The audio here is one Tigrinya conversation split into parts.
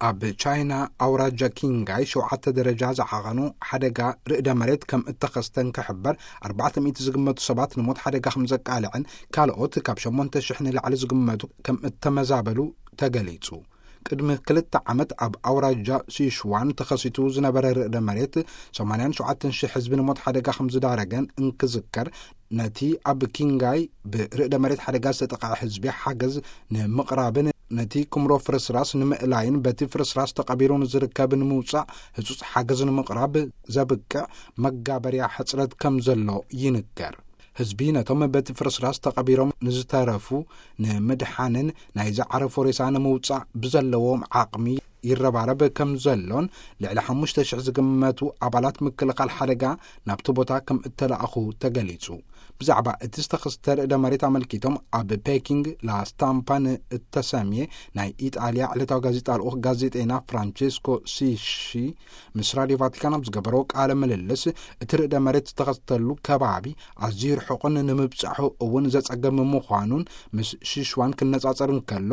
ኣብ ቻይና ኣውራጃ ኪንጋይ ሸውዓተ ደረጃ ዝዓቐኑ ሓደጋ ርእደ መሬት ከም እተኸስተ እንክሕበር፣ ኣርባዕተ ሚእቲ ዝግመቱ ሰባት ንሞት ሓደጋ ከም ዘቃልዐን ካልኦት ካብ ሸሞንተ ሽሕ ንላዕሊ ዝግመቱ ከም እተመዛበሉ ተገሊጹ። ቅድሚ ክልተ ዓመት ኣብ ኣውራጃ ሲሽዋን ተኸሲቱ ዝነበረ ርእደ መሬት ሰማንያን ሸውዓተን ሽሕ ህዝቢ ንሞት ሓደጋ ከም ዝዳረገን እንክዝከር፣ ነቲ ኣብ ኪንጋይ ብርእደ መሬት ሓደጋ ዝተጠቕዐ ህዝቢ ሓገዝ ንምቕራብን ነቲ ክምሮ ፍርስራስ ንምእላይን በቲ ፍርስራስ ተቐቢሩ ንዝርከብ ንምውጻእ ህጹጽ ሓገዝ ንምቕራብ ዘብቅዕ መጋበርያ ሕጽረት ከም ዘሎ ይንገር። ህዝቢ ነቶም በቲ ፍርስራስ ተቐቢሮም ንዝተረፉ ንምድሓንን ናይ ዝዓረፎ ሬሳ ንምውጻእ ብዘለዎም ዓቕሚ ይረባረብ ከም ዘሎን፣ ልዕሊ ሓሙሽተ ሽሕ ዝግመቱ ኣባላት ምክልኻል ሓደጋ ናብቲ ቦታ ከም እተላእኹ ተገሊጹ። ብዛዕባ እቲ ዝተኸስተ ርእደ መሬት ኣመልኪቶም ኣብ ፔኪንግ ላስታምፓ ንእተሰምየ ናይ ኢጣልያ ዕለታዊ ጋዜጣ ልኡኽ ጋዜጠይና ፍራንቼስኮ ሲሺ ምስ ራድዮ ቫቲካን ኣብ ዝገበሮ ቃለ ምልልስ፣ እቲ ርእደ መሬት ዝተኸስተሉ ከባቢ ኣዝዩ ርሑቕን ንምብጻሑ እውን ዘጸገም ምዃኑን ምስ ሽሽዋን ክነጻጸር እንከሎ፣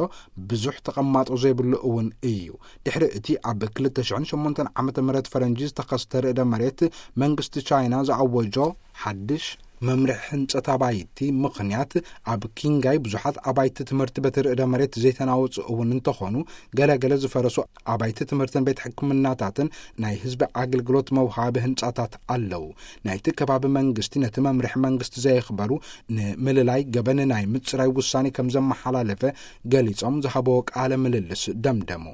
ብዙሕ ተቐማጦ ዘይብሉ እውን እዩ። ድሕሪ እቲ ኣብ ክልተ ሽሕን ሸሞንተን ዓመተ ምህረት ፈረንጂ ዝተኸስተ ርእደ መሬት፣ መንግስቲ ቻይና ዝኣወጆ ሓድሽ መምርሒ ህንጸት ኣባይቲ ምኽንያት፣ ኣብ ኪንጋይ ብዙሓት ኣባይቲ ትምህርቲ በቲ ርእደ መሬት ዘይተናወጹ እውን እንተኾኑ፣ ገለገለ ዝፈረሱ ኣባይቲ ትምህርትን ቤት ሕክምናታትን ናይ ህዝቢ ኣገልግሎት መውሃቢ ህንጻታት ኣለዉ። ናይቲ ከባቢ መንግስቲ ነቲ መምርሒ መንግስቲ ዘየኽበሩ፣ ንምልላይ ገበን ናይ ምጽራይ ውሳኔ ከም ዘመሓላለፈ ገሊጾም ዝሃበዎ ቃለ ምልልስ ደምደሙ።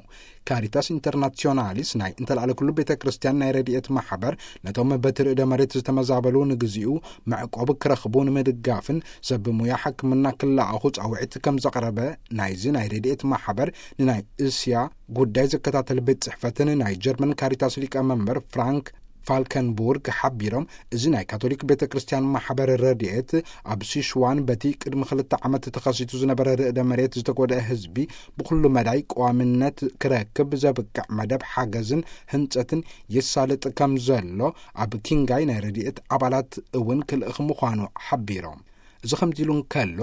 ካሪታስ ኢንተርናሲዮናሊስ ናይ እንተላዕለ ኩሉ ቤተ ክርስቲያን ናይ ረድኤት ማሕበር፣ ነቶም በቲ ርእደ መሬት ዝተመዛበሉ ንግዚኡ መዕቆብ ክረኽቡ ንምድጋፍን ሰብ ሙያ ሕክምና ክለኣኹ ጻውዒት ከም ዘቕረበ ናይዚ ናይ ረድኤት ማሕበር ንናይ እስያ ጉዳይ ዝከታተል ቤት ጽሕፈትን ናይ ጀርመን ካሪታስ ሊቀ መንበር ፍራንክ ፋልከንቡርግ ሓቢሮም፣ እዚ ናይ ካቶሊክ ቤተ ክርስቲያን ማሕበር ረድኤት ኣብ ሲሽዋን በቲ ቅድሚ ክልተ ዓመት ተኸሲቱ ዝነበረ ርእደ መሬት ዝተጎድአ ህዝቢ ብኩሉ መዳይ ቀዋምነት ክረክብ ዘብቅዕ መደብ ሓገዝን ህንጸትን የሳልጥ ከም ዘሎ ኣብ ኪንጋይ ናይ ረድኤት ኣባላት እውን ክልእኽ ምዃኑ ሓቢሮም። እዚ ከምዚ ኢሉ እንከሎ፣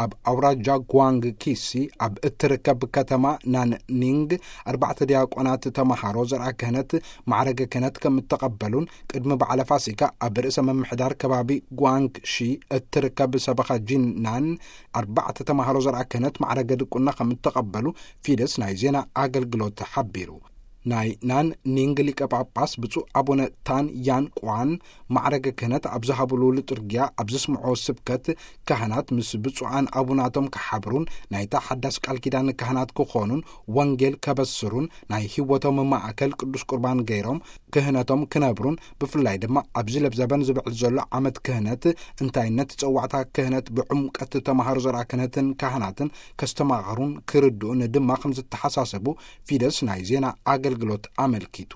ኣብ ኣውራጃ ጓንግ ኪሲ ኣብ እትርከብ ከተማ ናንኒንግ ኣርባዕተ ዲያቆናት ተመሃሮ ዘርኣ ክህነት ማዕረገ ክህነት ከም እተቐበሉን፣ ቅድሚ በዓለ ፋሲካ ኣብ ርእሰ ምምሕዳር ከባቢ ጓንግ ሺ እትርከብ ሰበኻ ጂናን ኣርባዕተ ተመሃሮ ዘርኣ ክህነት ማዕረገ ድቁና ከም እተቐበሉ ፊደስ ናይ ዜና ኣገልግሎት ሓቢሩ። ናይ ናን ኒንግ ሊቀ ጳጳስ ብፁዕ ኣቡነ ታን ያን ቋን ማዕረገ ክህነት ኣብ ዝሃብሉ ልጡርጊያ ኣብ ዘስምዖ ስብከት፣ ካህናት ምስ ብፁዓን ኣቡናቶም ክሓብሩን ናይታ ሓዳስ ቃል ኪዳን ካህናት ክኾኑን ወንጌል ከበስሩን ናይ ህይወቶም ማእከል ቅዱስ ቁርባን ገይሮም ክህነቶም ክነብሩን፣ ብፍላይ ድማ ኣብዚ ለብዘበን ዝብዕል ዘሎ ዓመት ክህነት እንታይነት ጸዋዕታ ክህነት ብዕምቀት ተመሃሮ ዘርኣ ክህነትን ካህናትን ከስተማቕሩን ክርድኡን ድማ ከም ዝተሓሳሰቡ ፊደስ ናይ ዜና ኣገልግሎት ኣመልኪቱ።